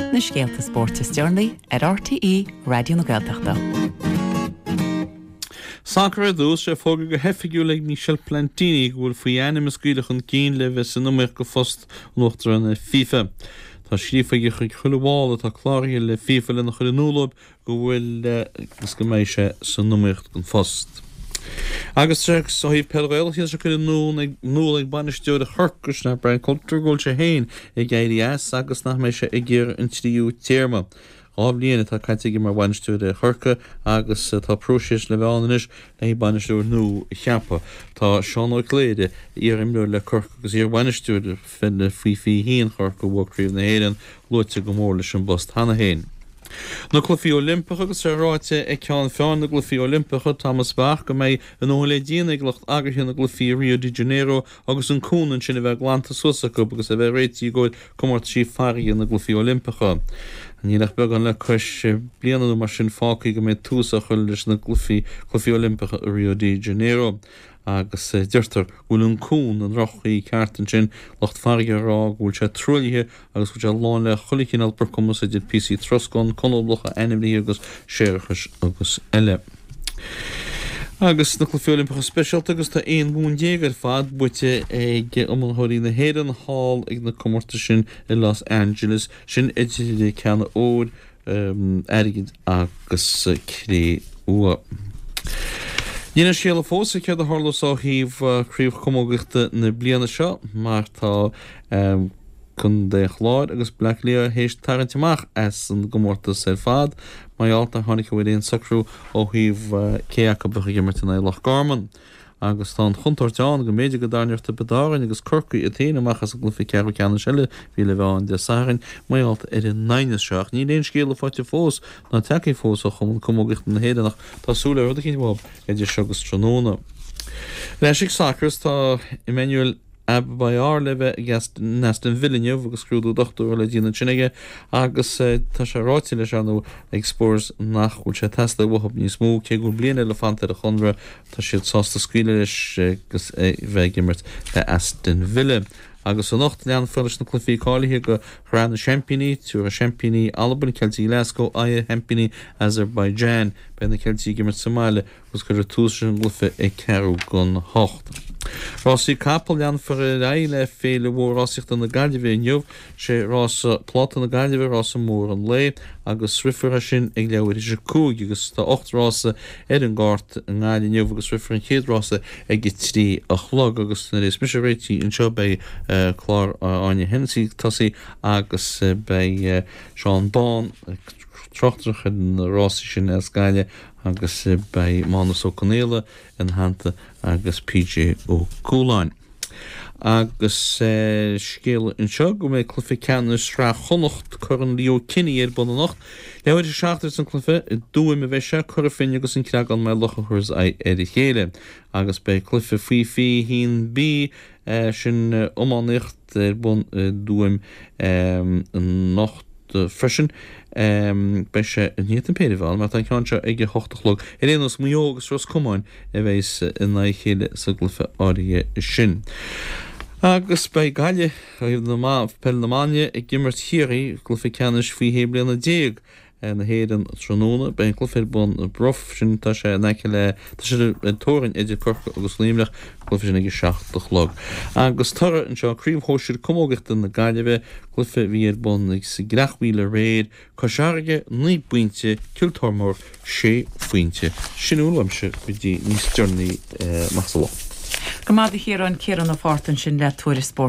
Na scéalta spóirt is deireanaí ar RTÉ Raidió na Gaeltachta. Sacar ar dtús, sé fógartha go hoifigiúil ag Michel Platini go bhfuil faoi ainm a scaoileadh chun cinn le bheith san iomaíocht go phost an Uachtaráin ar FIFA. Tá scríofa aige chuig chuile bhall atá cláraithe le FIFA lena chur in iúl dóibh go bhfuil agus go mbeidh sé san iomaíocht don phost. Agus ó thaobh peil Ghaelach tá sé curtha in iúl ag bainisteoir Chorcaí, sin é Brian Coulter, go bhfuil sé féin ag éirí as agus nach mbeidh sé ag iarraidh an tríú téarma. 2 bhliain atá caite aige mar bhainisteoir ar Chorcaigh agus tá próiseas le bheith ann anois le haghaidh bainisteoir nua a cheapadh. Tá Seán Ó Cléirigh, iar-imreoir le Corcaigh agus iar-bhainisteoir pheile faoi 21 Chorcaí a bhuaigh Craobh na hÉireann, luaite go mór leis an bpost cheana féin. Na Cluichí Oilimpeacha agus é ráite ag ceann feadhain na gCluichí Oilimpeacha, Thomas Bach, go mbeidh a ndóthain le déanamh ag lucht eagraithe na gcluichí i Rio de Janeiro agus an cuan ansin a bheith glanta suas acu agus a bheith réitithe i gcomhair comórtaisí farraige na gCluichí Oilimpeacha. Níl ach beagán le cois bliana nó mar sin fágtha go mbeidh tús á chur leis na gCluichí Oilimpeacha i Rio de Janeiro. agus deirtear go bhfuil an cuan i ndroch-chaoi ceart ansin, lucht farraige ag rá go bhfuil sé truaillithe agus go bhfuil sé lán le chuile chineál brocamais idir píosaí troscán, conablacha, ainmhithe agus séarachais agus eile. Agus na Cluichí Oilimpeacha Speisialta agus tá 11 bonn ar fad buaite ag iomaitheoirí na hÉireann thall ag na comórtais sin i Los Angeles, sin idir ceanna óir, airgid agus cré-umha. Níl aon scéala fós ar céard a tharlós ó thaobh Craobh Chamógaíochta na bliana seo mar tá Contae an Chláir agus Baile Átha Cliath théis tarraingt amach as an gcomórtas ar fad mar gheall nár tháinig ar aon socrú ó thaobh cé acu a bheadh ag imirt in aghaidh Loch Garman. Agus tá an chontúirt ann go mb'fhéidir go dtarraingeodh Tiobraid Árann agus Corcaigh iad féin amach as an gcluiche ceathrú ceannais eile a bhí le bheith ann Dé Sathairn mar gheall ar an aighneas seo. Ach níl aon scéala faighte fós ná tagtha fós ó Chumann Camógaíochta na hÉireann ach tá súil le rud eicínt uathu idir seo agus tráthnóna. Ar ais ag sacar is tá Emmanuel Amebayor le bheith ag in Aston Villa inniu agus scrúdú dochtúra le déanamh ansin aige agus tá sé ráite leis ar ndóigh ag Spurs nach bhfuil sé ag teastáil uathu níos mó cé go bhfuil bliain eile fanta ar a chonradh tá siad sásta scaoileadh leis agus é bheith ag imirt le Aston Villa. Agus anocht leanfar leis na cluichí cáilithe do Shraith na Seaimpíní, tabharfaidh seaimpíní Albain, Ceiltigh Glasgow, aghaidh ar sheaimpíní Azerbaijan. Beidh na Ceiltigh ag imirt sa mbaile agus cuirfear tús leis an gcluiche ag ceathrú don hocht. Rásaí capall, Leanfar ar aghaidh le Féile Mhór Rásaíochta na Gaillimhe inniu. Sé rása Pláta na Gaillimhe rása mór an lae agus rithfear é sin ag leathuair théis a 5 agus tá 8 rása ar an gcárta i nGaillimh inniu agus rithfear an chéad rása ag 3 a chlog agus nuair a bheas mise réitithe anseo beidh clár Áine Hennessy ag tosaí agus beidh Seán Bán ag tráchtaireacht ar na rásaí sin as Gaillimh agus beidh Mánus Ó Conaola ina theannta agus PJ Ó Cualáin. Agus scéala anseo go mbeidh cluiche ceannais Shraith Chonnacht, Corn Leo Kinney ar bun anocht. Leathuair théis a 7 a bheas an cluiche, i dTuaim a bheidh sé, Cora Finne agus an Creagán Maigh Locha a thabharfas aghaidh ar a chéile. Agus beidh cluiche faoi 21B, sin iománaíocht, ar bun i dTuaim anocht freisin. Beidh sé, ní an péire a bheidh ann mar tá an ceann seo ag a hocht a chlog. Ar aon nós, Maigh Eo agus Ros Comáin a bheas in aghaidh a chéile sa gcluiche áirithe sin. Agus beidh Gaillimh, ó thaobh na peile na mban de, ag imirt Chiarraí i gcluiche ceannais faoi 16 bliana na hÉireann tráthnóna. Beidh an cluiche ar bun i Bruff, sin tá sé in aice le, tá sé ar an teorainn idir Corcaigh agus Luimneach, an cluiche sin ag a 7 a chlog. Agus toradh anseo, Craobh Shóisir Camógaíochta na Gaillimhe, cluiche a bhí ar bun sa gCreachmhaoil aréir, Cois Fharraige, 9 bpointe, Cill Tormóir, 6 phointe. Sin a bhfuil uaimse go dtí níos deireanaí amach sa lá. Go maith a Chiaráin, Ciarán Ó Fátharta ansin le tuairisc spóirt.